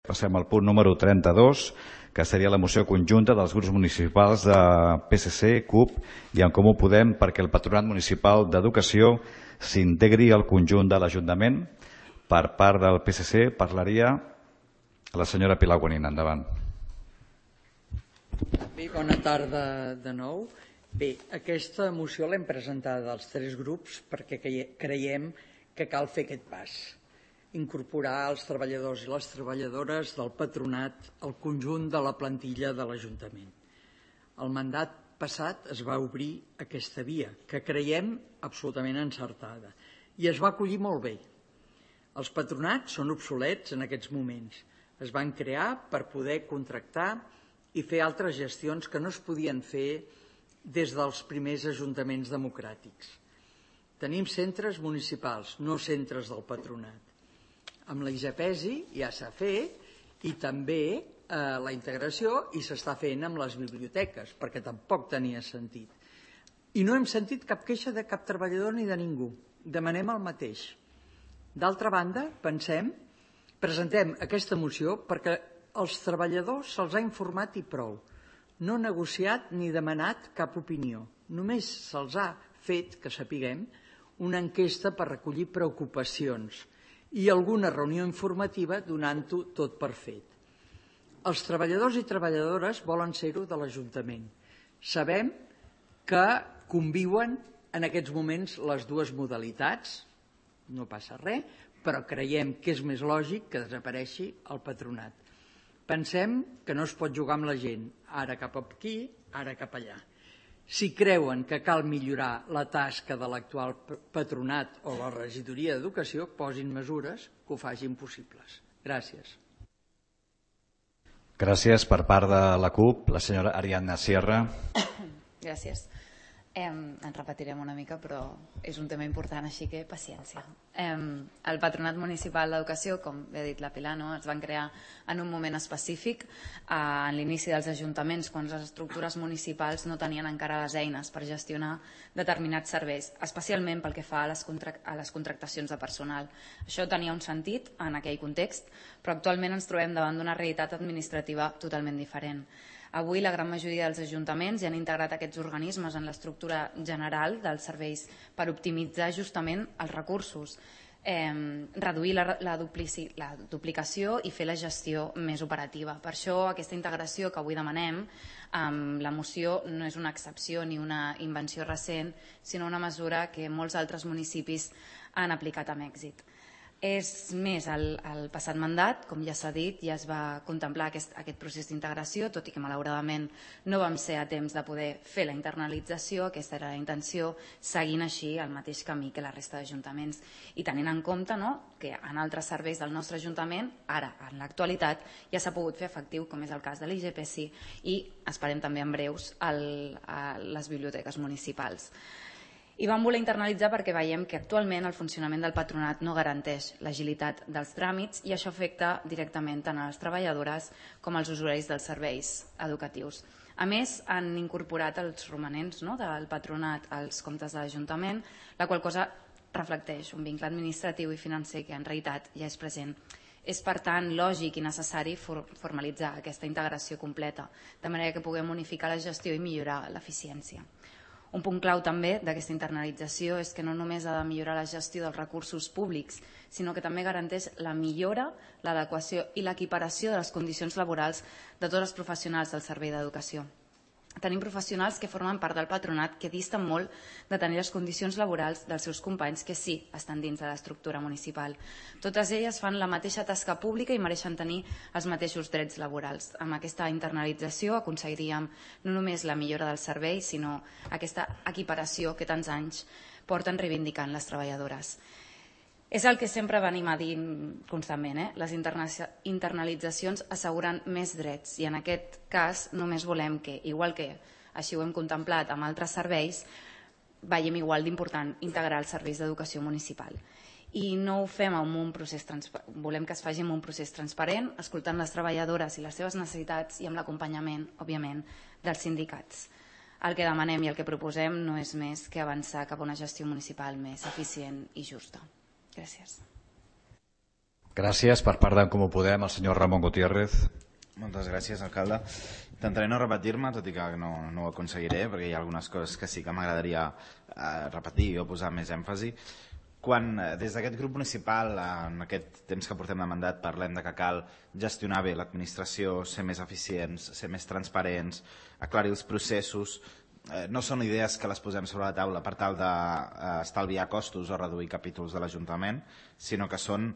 Passem al punt número 32, que seria la moció conjunta dels grups municipals de PSC, CUP i En Comú Podem perquè el Patronat Municipal d'Educació s'integri al conjunt de l'Ajuntament. Per part del PSC parlaria la senyora Pilar Guanín. Endavant. Bé, bona tarda de nou. Bé, aquesta moció l'hem presentada als tres grups perquè creiem que cal fer aquest pas. Incorporar els treballadors i les treballadores del patronat al conjunt de la plantilla de l'Ajuntament. El mandat passat es va obrir aquesta via, que creiem absolutament encertada, i es va acollir molt bé. Els patronats són obsolets en aquests moments. Es van crear per poder contractar i fer altres gestions que no es podien fer des dels primers ajuntaments democràtics. Tenim centres municipals, no centres del patronat. Amb la IGPESI ja s'ha fet i també la integració i s'està fent amb les biblioteques, perquè tampoc tenia sentit. I no hem sentit cap queixa de cap treballador ni de ningú. Demanem el mateix. D'altra banda, presentem aquesta moció perquè als treballadors se'ls ha informat i prou. No negociat ni demanat cap opinió. Només se'ls ha fet, que sapiguem, una enquesta per recollir preocupacions i alguna reunió informativa donant-ho tot per fet. Els treballadors i treballadores volen ser-ho de l'Ajuntament. Sabem que conviuen en aquests moments les dues modalitats, no passa res, però creiem que és més lògic que desapareixi el patronat. Pensem que no es pot jugar amb la gent, ara cap aquí, ara cap allà. Si creuen que cal millorar la tasca de l'actual patronat o la regidoria d'Educació, posin mesures que ho facin possibles. Gràcies. Gràcies. Per part de la CUP, la senyora Ariadna Sierra. Gràcies. En repetirem una mica, però és un tema important, així que paciència. El Patronat Municipal d'Educació, com bé ha dit la Pilar, es van crear en un moment específic, en l'inici dels ajuntaments, quan les estructures municipals no tenien encara les eines per gestionar determinats serveis, especialment pel que fa a les contractacions de personal. Això tenia un sentit en aquell context, però actualment ens trobem davant d'una realitat administrativa totalment diferent. Avui la gran majoria dels ajuntaments ja han integrat aquests organismes en l'estructura general dels serveis per optimitzar justament els recursos, reduir la duplicació i fer la gestió més operativa. Per això aquesta integració que avui demanem amb la moció no és una excepció ni una invenció recent, sinó una mesura que molts altres municipis han aplicat amb èxit. És més, el passat mandat, com ja s'ha dit, ja es va contemplar aquest procés d'integració, tot i que malauradament no vam ser a temps de poder fer la internalització. Aquesta era la intenció, seguint així el mateix camí que la resta d'ajuntaments i tenint en compte que en altres serveis del nostre ajuntament, ara, en l'actualitat, ja s'ha pogut fer efectiu, com és el cas de l'IGPESI i esperem també en breus a les biblioteques municipals. I vam voler internalitzar perquè veiem que actualment el funcionament del patronat no garanteix l'agilitat dels tràmits i això afecta directament tant a les treballadores com als usuaris dels serveis educatius. A més, han incorporat els romanents del patronat als comptes de l'Ajuntament, la qual cosa reflecteix un vincle administratiu i financer que en realitat ja és present. És, per tant, lògic i necessari formalitzar aquesta integració completa, de manera que puguem unificar la gestió i millorar l'eficiència. Un punt clau també d'aquesta internalització és que no només ha de millorar la gestió dels recursos públics, sinó que també garanteix la millora, l'adequació i l'equiparació de les condicions laborals de tots els professionals del servei d'educació. Tenim professionals que formen part del patronat que disten molt de tenir les condicions laborals dels seus companys que sí estan dins de l'estructura municipal. Totes elles fan la mateixa tasca pública i mereixen tenir els mateixos drets laborals. Amb aquesta internalització aconseguiríem no només la millora del servei, sinó aquesta equiparació que tants anys porten reivindicant les treballadores. És el que sempre venim a dir constantment, les internalitzacions asseguren més drets i en aquest cas només volem que, igual que així ho hem contemplat amb altres serveis, veiem igual d'important integrar els serveis d'educació municipal. I no ho fem amb un procés transparent, volem que es faci amb un procés transparent, escoltant les treballadores i les seves necessitats i amb l'acompanyament, òbviament, dels sindicats. El que demanem i el que proposem no és més que avançar cap a una gestió municipal més eficient i justa. Gràcies. Gràcies. Per part d'en Comú Podem, el senyor Ramon Gutiérrez. Moltes gràcies, alcalde. Intentaré no repetir-me, tot i que no ho aconseguiré, perquè hi ha algunes coses que sí que m'agradaria repetir o posar més èmfasi. Quan des d'aquest grup municipal, en aquest temps que portem de mandat, parlem de que cal gestionar bé l'administració, ser més eficients, ser més transparents, aclarir els processos, no són idees que les posem sobre la taula per tal d'estalviar costos o reduir capítols de l'Ajuntament, sinó que són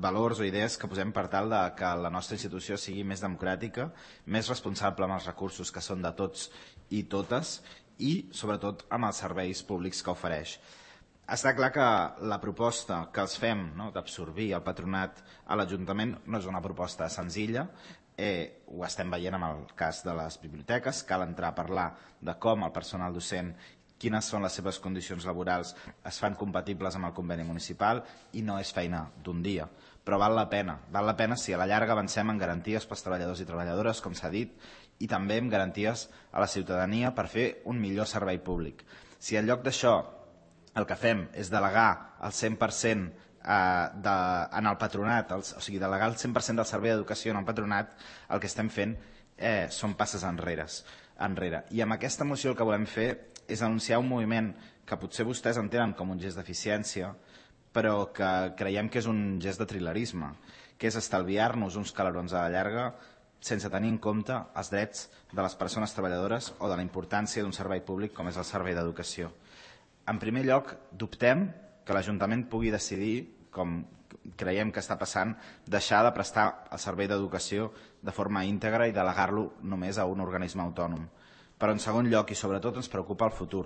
valors o idees que posem per tal de que la nostra institució sigui més democràtica, més responsable amb els recursos que són de tots i totes i, sobretot, amb els serveis públics que ofereix. Està clar que la proposta que els fem, d'absorbir el patronat a l'Ajuntament, no és una proposta senzilla. Ho estem veient amb el cas de les biblioteques. Cal entrar a parlar de com el personal docent, quines són les seves condicions laborals, es fan compatibles amb el conveni municipal, i no és feina d'un dia. Però val la pena si a la llarga avancem en garanties pels treballadors i treballadores, com s'ha dit, i també en garanties a la ciutadania per fer un millor servei públic. Si en lloc d'això el que fem és delegar el 100% en el patronat, o sigui, delegar el 100% del servei d'educació en el patronat, el que estem fent són passes enrere. I amb aquesta moció el que volem fer és anunciar un moviment que potser vostès entenen com un gest d'eficiència, però que creiem que és un gest de trilerisme, que és estalviar-nos uns calerons a la llarga sense tenir en compte els drets de les persones treballadores o de la importància d'un servei públic com és el servei d'educació. En primer lloc, dubtem que l'Ajuntament pugui decidir, com creiem que està passant, deixar de prestar el servei d'educació de forma íntegra i delegar-lo només a un organisme autònom. Però en segon lloc, i sobretot, ens preocupa el futur,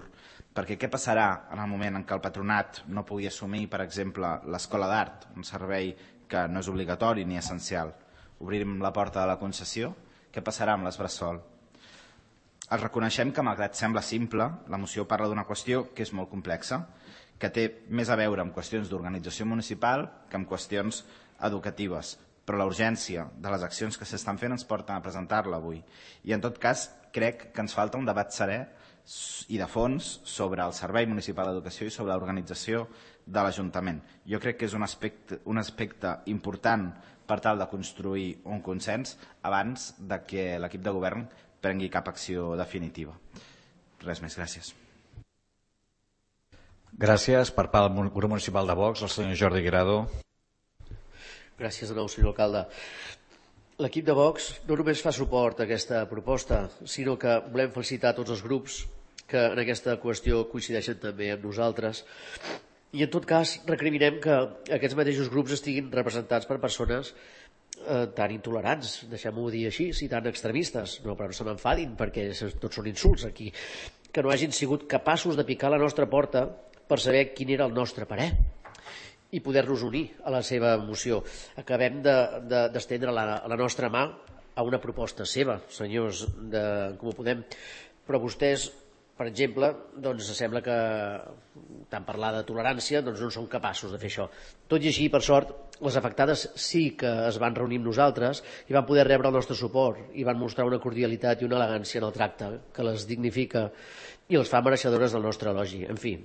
perquè què passarà en el moment en què el patronat no pugui assumir, per exemple, l'escola d'art, un servei que no és obligatori ni essencial? Obrirem la porta de la concessió? Què passarà amb les bressol? Els reconeixem que, malgrat sembla simple, la moció parla d'una qüestió que és molt complexa, que té més a veure amb qüestions d'organització municipal que amb qüestions educatives. Però la urgència de les accions que s'estan fent ens porta a presentar-la avui. I en tot cas, crec que ens falta un debat serè i de fons sobre el Servei Municipal d'Educació i sobre l'organització de l'Ajuntament. Jo crec que és un aspecte important per tal de construir un consens abans de que l'equip de govern prengui cap acció definitiva. Res més, gràcies. Gràcies. Per part del grup municipal de Vox, el senyor Jordi Guirado. Gràcies de nou, senyor alcalde. L'equip de Vox no només fa suport a aquesta proposta, sinó que volem felicitar tots els grups que en aquesta qüestió coincideixen també amb nosaltres. I en tot cas recriminem que aquests mateixos grups estiguin representats per persones tan intolerants, deixem-ho dir així, i tan extremistes, però no se m'enfadin perquè tots són insults aquí, que no hagin sigut capaços de picar la nostra porta per saber quin era el nostre parer i poder-nos unir a la seva moció. Acabem d'estendre la nostra mà a una proposta seva, senyors de Com ho Podem, però vostès, per exemple, doncs sembla que tant parlar de tolerància doncs no són capaços de fer això. Tot i així, per sort, les afectades sí que es van reunir amb nosaltres i van poder rebre el nostre suport i van mostrar una cordialitat i una elegància en el tracte que les dignifica i les fa mereixedores del nostre elogi. En fi,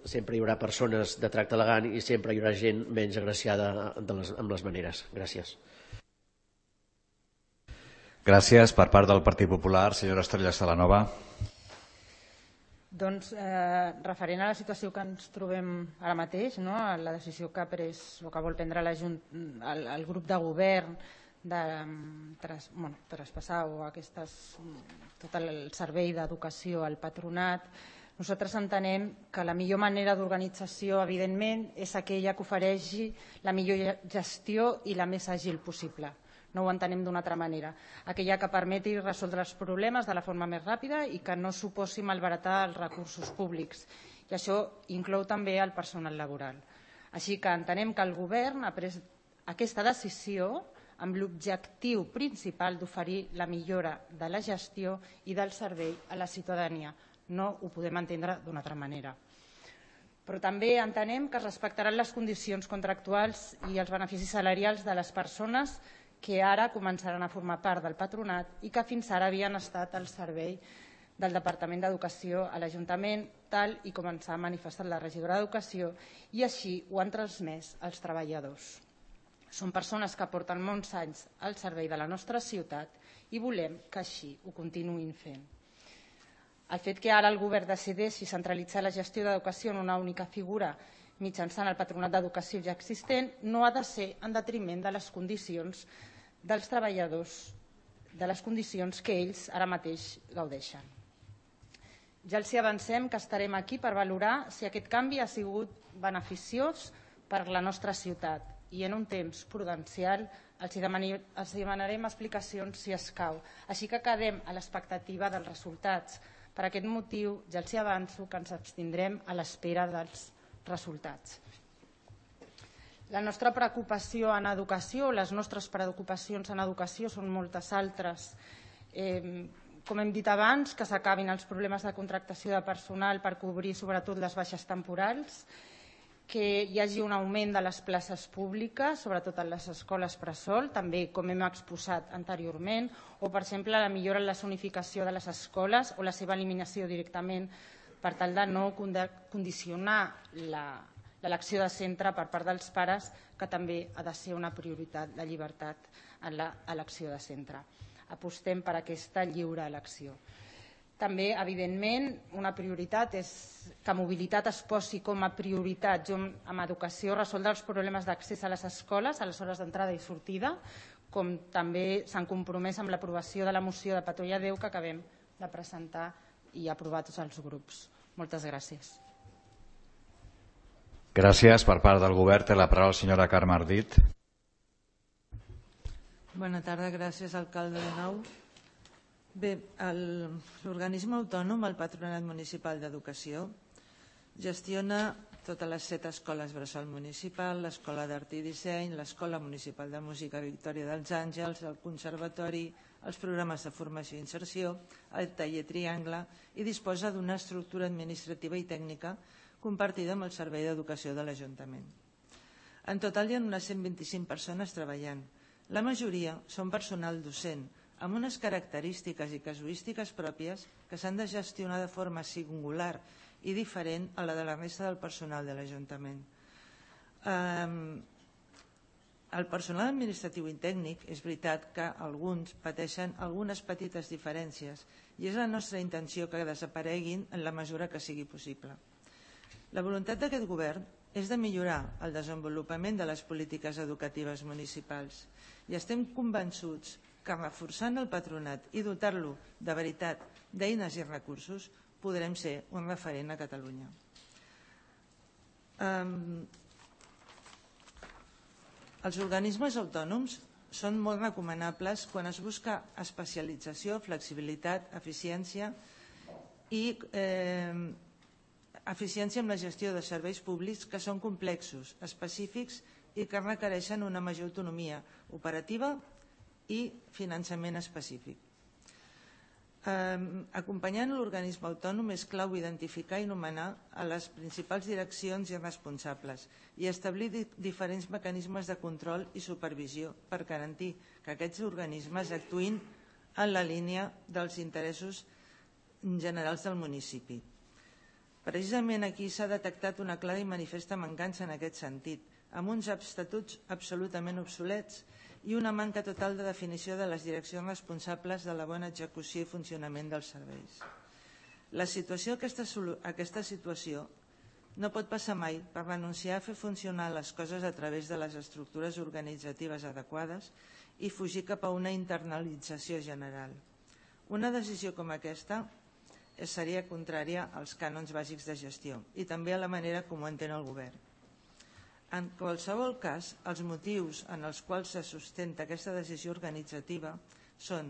sempre hi haurà persones de tracte elegant i sempre hi haurà gent menys agraciada amb les maneres. Gràcies. Gràcies. Per part del Partit Popular, senyora Estrella Salanova. Doncs referent a la situació que ens trobem ara mateix, la decisió que ha pres o que vol prendre el grup de govern de traspassar tot el servei d'educació al patronat, nosaltres entenem que la millor manera d'organització, evidentment, és aquella que ofereixi la millor gestió i la més àgil possible. No ho entenem d'una altra manera. Aquella que permeti resoldre els problemes de la forma més ràpida i que no suposi malbaratar els recursos públics. I això inclou també el personal laboral. Així que entenem que el govern ha pres aquesta decisió amb l'objectiu principal d'oferir la millora de la gestió i del servei a la ciutadania. No ho podem entendre d'una altra manera. Però també entenem que es respectaran les condicions contractuals i els beneficis salarials de les persones que ara començaran a formar part del patronat i que fins ara havien estat al servei del Departament d'Educació a l'Ajuntament, tal i com ens ha manifestat la regidora d'Educació, i així ho han transmès als treballadors. Són persones que porten molts anys al servei de la nostra ciutat i volem que així ho continuïn fent. El fet que ara el govern decideixi centralitzar la gestió d'educació en una única figura mitjançant el Patronat d'Educació ja existent no ha de ser en detriment de les condicions dels treballadors, de les condicions que ells ara mateix gaudeixen. Ja els avancem que estarem aquí per valorar si aquest canvi ha sigut beneficiós per la nostra ciutat i en un temps prudencial els demanarem explicacions si escau. Així que quedem a l'expectativa dels resultats. Per aquest motiu ja els avanço que ens abstindrem a l'espera dels resultats. La nostra preocupació en educació, les nostres preocupacions en educació són moltes altres. Com hem dit abans, que s'acabin els problemes de contractació de personal per cobrir sobretot les baixes temporals, que hi hagi un augment de les places públiques, sobretot en les escoles bressol, també com hem exposat anteriorment, o per exemple la millora en la zonificació de les escoles o la seva eliminació directament per tal de no condicionar l'elecció de centre per part dels pares, que també ha de ser una prioritat, la llibertat en l'elecció de centre. Apostem per aquesta lliure elecció. També, evidentment, una prioritat és que mobilitat es posi com a prioritat amb educació, resoldre els problemes d'accés a les escoles, a les hores d'entrada i sortida, com també s'han compromès amb l'aprovació de la moció de Patoia 10 que acabem de presentar i aprovar tots els grups. Moltes gràcies. Gràcies. Per part del govern té la paraula la senyora Carme Ardit. Bona tarda, gràcies, alcalde de Nou. Bé, l'organisme autònom, el Patronat Municipal d'Educació, gestiona totes les 7 escoles bressol municipal, l'Escola d'Art i Disseny, l'Escola Municipal de Música Victòria dels Àngels, el Conservatori, els programes de formació i inserció, el taller Triangle i disposa d'una estructura administrativa i tècnica compartida amb el Servei d'Educació de l'Ajuntament. En total hi ha unes 125 persones treballant. La majoria són personal docent, amb unes característiques i casuístiques pròpies que s'han de gestionar de forma singular i diferent a la de la resta del personal de l'Ajuntament. El personal administratiu i tècnic és veritat que alguns pateixen algunes petites diferències i és la nostra intenció que desapareguin en la mesura que sigui possible. La voluntat d'aquest govern és de millorar el desenvolupament de les polítiques educatives municipals i estem convençuts que reforçant el patronat i dotar-lo de veritat d'eines i recursos podrem ser un referent a Catalunya. Els organismes autònoms són molt recomanables quan es busca especialització, flexibilitat, eficiència i eficiència en la gestió de serveis públics que són complexos, específics i que requereixen una major autonomia operativa i finançament específic. Acompanyant l'organisme autònom és clau identificar i nomenar a les principals direccions i responsables i establir diferents mecanismes de control i supervisió per garantir que aquests organismes actuïn en la línia dels interessos generals del municipi. Precisament aquí s'ha detectat una clara i manifesta mancança en aquest sentit, amb uns estatuts absolutament obsolets i una manca total de definició de les direccions responsables de la bona execució i funcionament dels serveis. Aquesta situació no pot passar mai per renunciar a fer funcionar les coses a través de les estructures organitzatives adequades i fugir cap a una internalització general. Una decisió com aquesta seria contrària als cànons bàsics de gestió i també a la manera com ho entén el govern. En qualsevol cas, els motius en els quals se sustenta aquesta decisió organitzativa són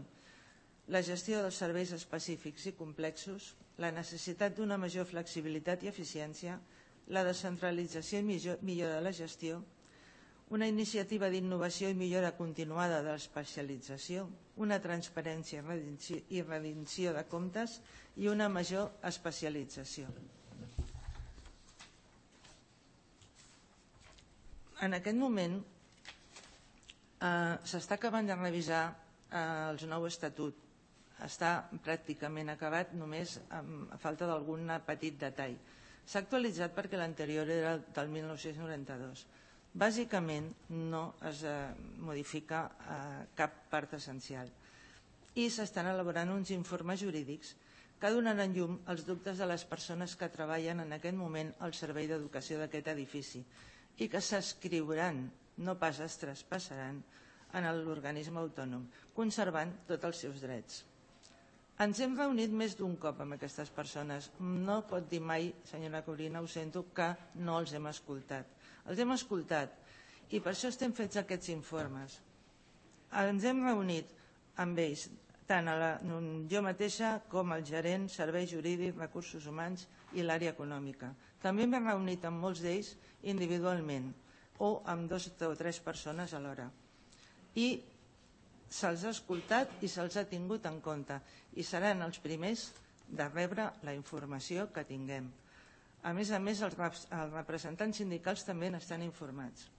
la gestió dels serveis específics i complexos, la necessitat d'una major flexibilitat i eficiència, la descentralització i millora de la gestió, una iniciativa d'innovació i millora continuada de l'especialització, una transparència i rendició de comptes i una major especialització. En aquest moment s'està acabant de revisar el nou estatut. Està pràcticament acabat, només a falta d'algun petit detall. S'ha actualitzat perquè l'anterior era del 1992. Bàsicament no es modifica cap part essencial i s'estan elaborant uns informes jurídics que donaran llum als dubtes de les persones que treballen en aquest moment al servei d'educació d'aquest edifici i que s'escriuran, no pas es traspassaran, en l'organisme autònom, conservant tots els seus drets. Ens hem reunit més d'un cop amb aquestes persones. No pot dir mai, senyora Corina, ho sento, que no els hem escoltat. Els hem escoltat i per això estem fets aquests informes. Ens hem reunit amb ells, tant jo mateixa com el gerent, serveis jurídics, recursos humans i l'àrea econòmica. També m'he reunit amb molts d'ells individualment o amb 2 o 3 persones alhora. I se'ls ha escoltat i se'ls ha tingut en compte i seran els primers de rebre la informació que tinguem. A més, els representants sindicals també n'estan informats.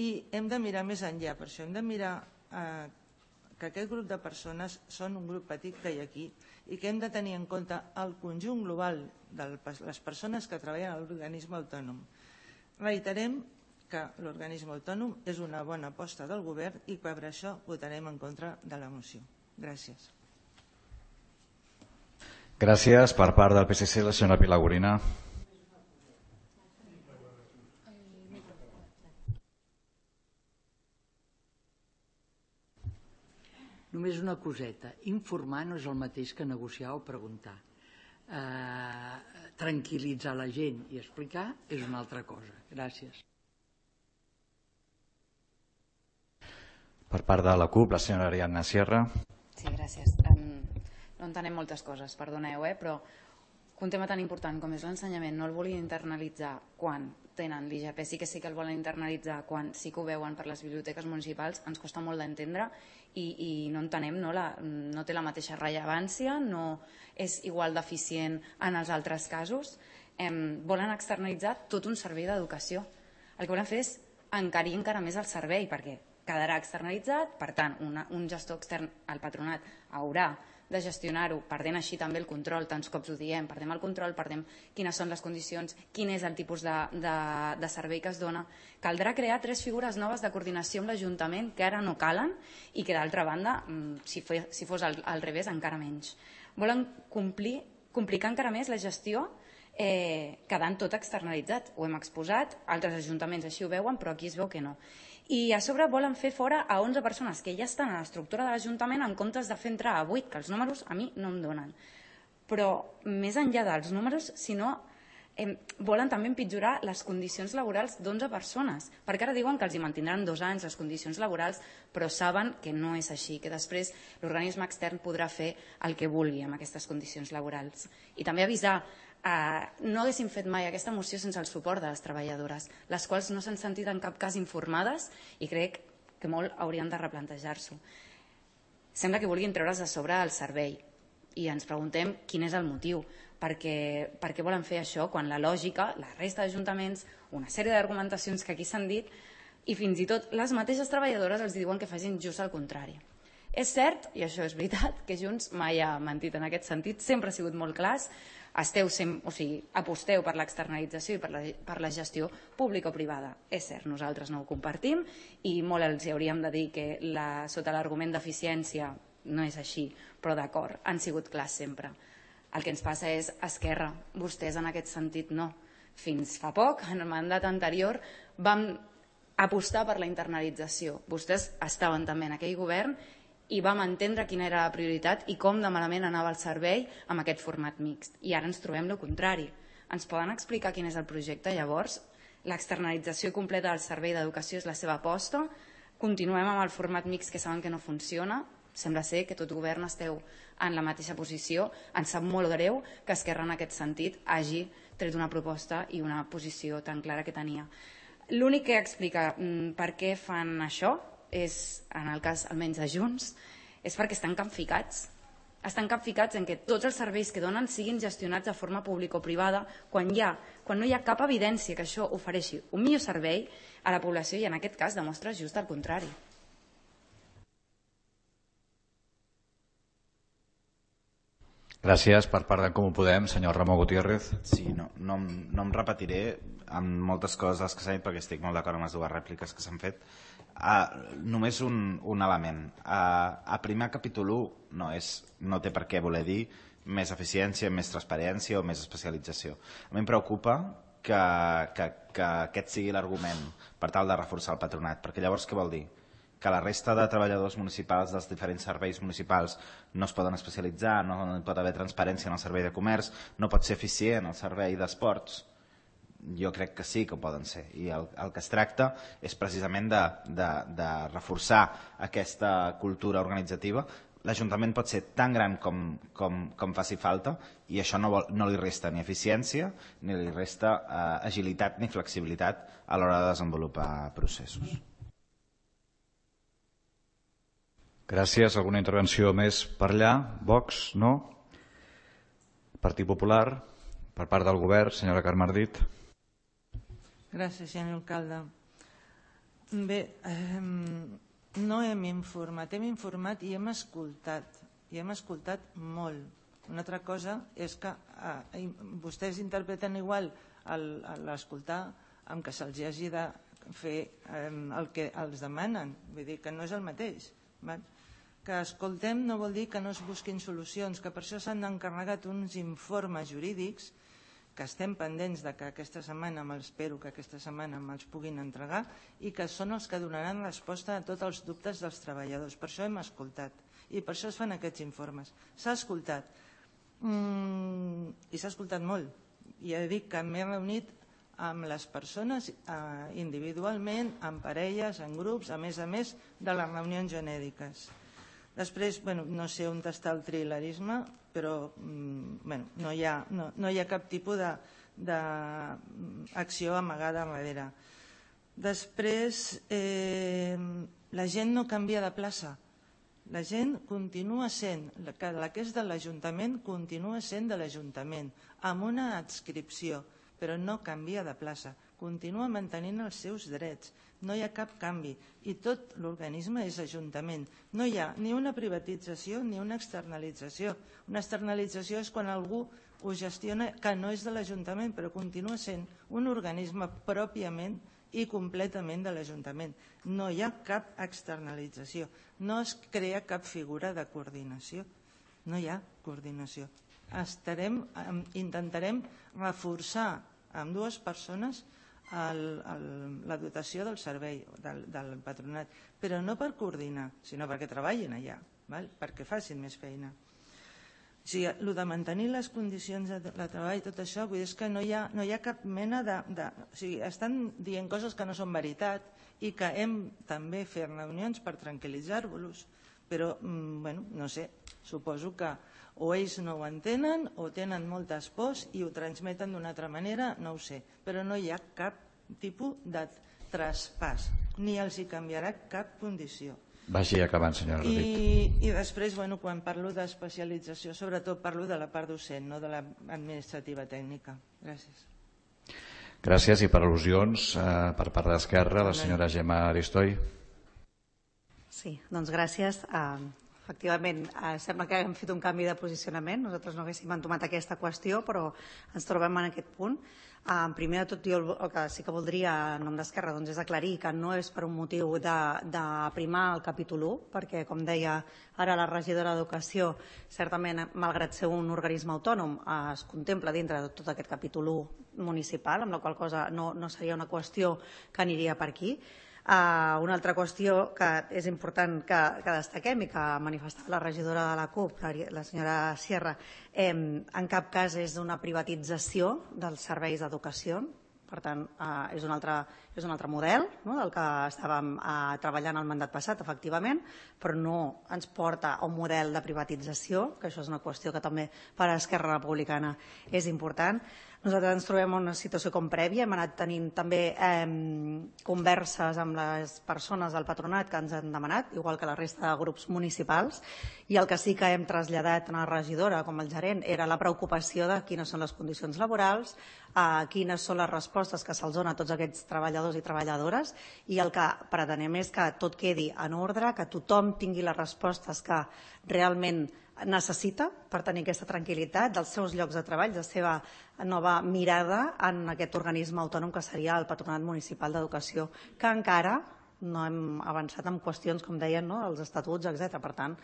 I hem de mirar més enllà, per això hem de mirar que aquest grup de persones són un grup petit que hi ha aquí i que hem de tenir en compte el conjunt global de les persones que treballen a l'organisme autònom. Reiterem que l'organisme autònom és una bona aposta del govern i per això votarem en contra de la moció. Gràcies. Gràcies. Per part del PSC, la senyora Pilar Gorina. Només una coseta. Informar no és el mateix que negociar o preguntar. Tranquil·litzar la gent i explicar és una altra cosa. Gràcies. Per part de la CUP, la senyora Ariadna Sierra. Sí, gràcies. No entenem moltes coses, perdoneu, però un tema tan important com és l'ensenyament no el volien internalitzar quan tenen l'IGP, sí que el volen internalitzar quan sí que ho veuen per les biblioteques municipals, ens costa molt d'entendre i no entenem, no té la mateixa rellevància, no és igual d'eficient en els altres casos. Volen externalitzar tot un servei d'educació. El que volen fer és encarir encara més el servei perquè quedarà externalitzat, per tant, un gestor extern, el patronat, haurà de gestionar-ho, perdent així també el control, tants cops ho diem, perdem el control, perdem quines són les condicions, quin és el tipus de servei que es dona. Caldrà crear 3 figures noves de coordinació amb l'Ajuntament que ara no calen i que d'altra banda, si fos al revés, encara menys. Volen complicar encara més la gestió quedant tot externalitzat. Ho hem exposat, altres ajuntaments així ho veuen, però aquí es veu que no. I a sobre volen fer fora a 11 persones que ja estan a l'estructura de l'Ajuntament en comptes de fer entrar a 8, que els números a mi no em donen. Però més enllà dels números, si no, volen també empitjorar les condicions laborals d'11 persones, perquè ara diuen que els hi mantindran 2 anys les condicions laborals, però saben que no és així, que després l'organisme extern podrà fer el que vulgui amb aquestes condicions laborals. I també avisar, no haguéssim fet mai aquesta moció sense el suport de les treballadores, les quals no s'han sentit en cap cas informades i crec que molt haurien de replantejar-s'ho. Sembla que vulguin treure's de sobre el servei i ens preguntem quin és el motiu, per què volen fer això quan la lògica, la resta d'ajuntaments, una sèrie d'argumentacions que aquí s'han dit i fins i tot les mateixes treballadores els diuen que facin just el contrari. És cert, i això és veritat, que Junts mai ha mentit en aquest sentit, sempre ha sigut molt clars, aposteu per l'externalització i per la gestió pública o privada. És cert, nosaltres no ho compartim i molt els hauríem de dir que sota l'argument d'eficiència no és així, però d'acord, han sigut clars sempre. El que ens passa és Esquerra, vostès en aquest sentit no. Fins fa poc, en el mandat anterior, vam apostar per la internalització. Vostès estaven també en aquell govern i vam entendre quina era la prioritat i com de malament anava el servei amb aquest format mixt. I ara ens trobem el contrari. Ens poden explicar quin és el projecte? Llavors, l'externalització completa del servei d'educació és la seva aposta? Continuem amb el format mixt que saben que no funciona? Sembla ser que tot govern esteu en la mateixa posició. Ens sap molt greu que Esquerra en aquest sentit hagi tret una proposta i una posició tan clara que tenia. L'únic que explica per què fan això és, en el cas almenys de Junts, és perquè estan capficats. Estan capficats en que tots els serveis que donen siguin gestionats de forma pública o privada quan no hi ha cap evidència que això ofereixi un millor servei a la població i en aquest cas demostra just el contrari. Gràcies. Per part d'en Comú Podem, senyor Ramon Gutiérrez. Sí, no em repetiré amb moltes coses que s'han dit perquè estic molt d'acord amb les dues rèpliques que s'han fet. Només un element. A primer capítol 1 no té per què voler dir més eficiència, més transparència o més especialització. A mi em preocupa que aquest sigui l'argument per tal de reforçar el patronat, perquè llavors què vol dir? Que la resta de treballadors municipals dels diferents serveis municipals no es poden especialitzar, no pot haver transparència en el servei de comerç, no pot ser eficient el servei d'esports. Jo crec que sí que ho poden ser, i el que es tracta és precisament de reforçar aquesta cultura organitzativa. L'Ajuntament pot ser tan gran com faci falta, i això no li resta ni eficiència, ni li resta agilitat ni flexibilitat a l'hora de desenvolupar processos. Gràcies. Alguna intervenció més per allà? Vox? No? Partit Popular? Per part del govern, senyora Carme Ardit. Gràcies, senyor alcalde. Bé, no hem informat i hem escoltat molt. Una altra cosa és que vostès interpreten igual l'escoltar amb que se'ls hagi de fer el que els demanen. Vull dir que no és el mateix. Que escoltem no vol dir que no es busquin solucions, que per això s'han encarregat uns informes jurídics que estem pendents de que aquesta setmana, espero que aquesta setmana me'ls puguin entregar, i que són els que donaran resposta a tots els dubtes dels treballadors. Per això hem escoltat i per això es fan aquests informes. S'ha escoltat i s'ha escoltat molt. I he dit que m'he reunit amb les persones individualment, en parelles, en grups, a més de les reunions genèriques. Després, no sé on està el trilerisme, però no hi ha cap tipus d'acció amagada darrere. Després, la gent no canvia de plaça. La gent continua sent, la que és de l'Ajuntament continua sent de l'Ajuntament, amb una adscripció, però no canvia de plaça. Continua mantenint els seus drets. No hi ha cap canvi i tot l'organisme és Ajuntament. No hi ha ni una privatització ni una externalització. Una externalització és quan algú ho gestiona que no és de l'Ajuntament, però continua sent un organisme pròpiament i completament de l'Ajuntament. No hi ha cap externalització. No es crea cap figura de coordinació. No hi ha coordinació. Intentarem reforçar amb dues persones la dotació del servei del patronat, però no per coordinar, sinó perquè treballin allà, perquè facin més feina. O sigui, el de mantenir les condicions de treball, tot això, vull dir que no hi ha cap mena de... O sigui, estan dient coses que no són veritat i que hem també fet reunions per tranquil·litzar-vos, però, no sé, suposo que o ells no ho entenen o tenen moltes pors i ho transmeten d'una altra manera, no ho sé, però no hi ha cap tipus de traspàs, ni els hi canviarà cap condició. Vagi acabant, senyora Ardit. I després, quan parlo d'especialització, sobretot parlo de la part docent, no de l'administrativa tècnica. Gràcies. Gràcies, i per al·lusions, per part d'Esquerra, la senyora Gemma Aristoi. Sí, doncs gràcies. Efectivament, sembla que hem fet un canvi de posicionament. Nosaltres no haguéssim entomat aquesta qüestió, però ens trobem en aquest punt. Primer de tot, jo el que sí que voldria, en nom d'Esquerra, és aclarir que no és per un motiu d'aprimar el capítol 1, perquè, com deia ara la regidora d'Educació, certament, malgrat ser un organisme autònom, es contempla dintre de tot aquest capítol 1 municipal, amb la qual cosa no seria una qüestió que aniria per aquí. Una altra qüestió que és important que destaquem i que manifestava la regidora de la CUP, la senyora Sierra, en cap cas és una privatització dels serveis d'educació. Per tant, és un altre model del que estàvem treballant el mandat passat, efectivament, però no ens porta a un model de privatització, que això és una qüestió que també per a Esquerra Republicana és important. Nosaltres ens trobem en una situació com prèvia, hem anat tenint també converses amb les persones del patronat que ens han demanat, igual que la resta de grups municipals, i el que sí que hem traslladat a la regidora com el gerent era la preocupació de quines són les condicions laborals, quines són les respostes que se'ls donen a tots aquests treballadors i treballadores, i el que pretenem és que tot quedi en ordre, que tothom tingui les respostes que realment necessita per tenir aquesta tranquil·litat dels seus llocs de treball, de la seva nova mirada en aquest organisme autònom que seria el Patronat Municipal d'Educació, que encara no hem avançat en qüestions, com deien, els estatuts, etc. Per tant,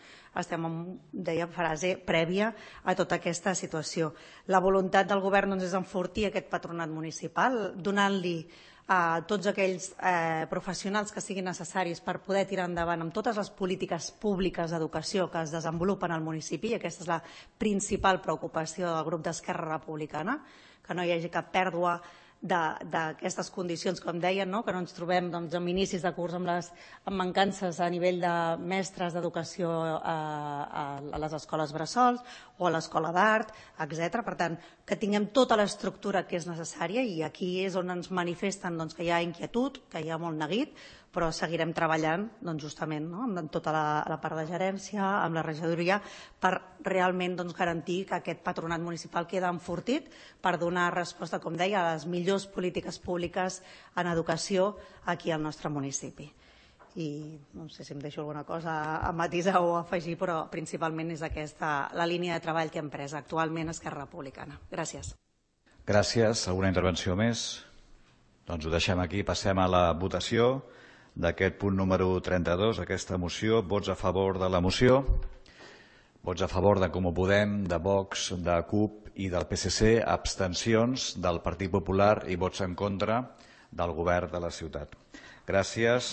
estem en, deia, fase prèvia a tota aquesta situació. La voluntat del govern és enfortir aquest patronat municipal, donant-li a tots aquells professionals que siguin necessaris per poder tirar endavant amb totes les polítiques públiques d'educació que es desenvolupen al municipi, i aquesta és la principal preocupació del grup d'Esquerra Republicana, que no hi hagi cap pèrdua d'aquestes condicions, com deien, que no ens trobem en inicis de curs amb mancances a nivell de mestres d'educació a les escoles bressols o a l'escola d'art, etc. Per tant, que tinguem tota l'estructura que és necessària, i aquí és on ens manifesten que hi ha inquietud, que hi ha molt neguit, però seguirem treballant justament amb tota la part de gerència, amb la regidoria, per realment garantir que aquest patronat municipal queda enfortit per donar resposta, com deia, a les millors polítiques públiques en educació aquí al nostre municipi. I no sé si em deixo alguna cosa a matisar o a afegir, però principalment és aquesta la línia de treball que hem pres actualment a Esquerra Republicana. Gràcies. Gràcies. Alguna intervenció més? Doncs ho deixem aquí. Passem a la votació d'aquest punt número 32, aquesta moció. Vots a favor de la moció, vots a favor de Comú Podem, de Vox, de CUP i del PSC, abstencions del Partit Popular i vots en contra del govern de la ciutat. Gràcies.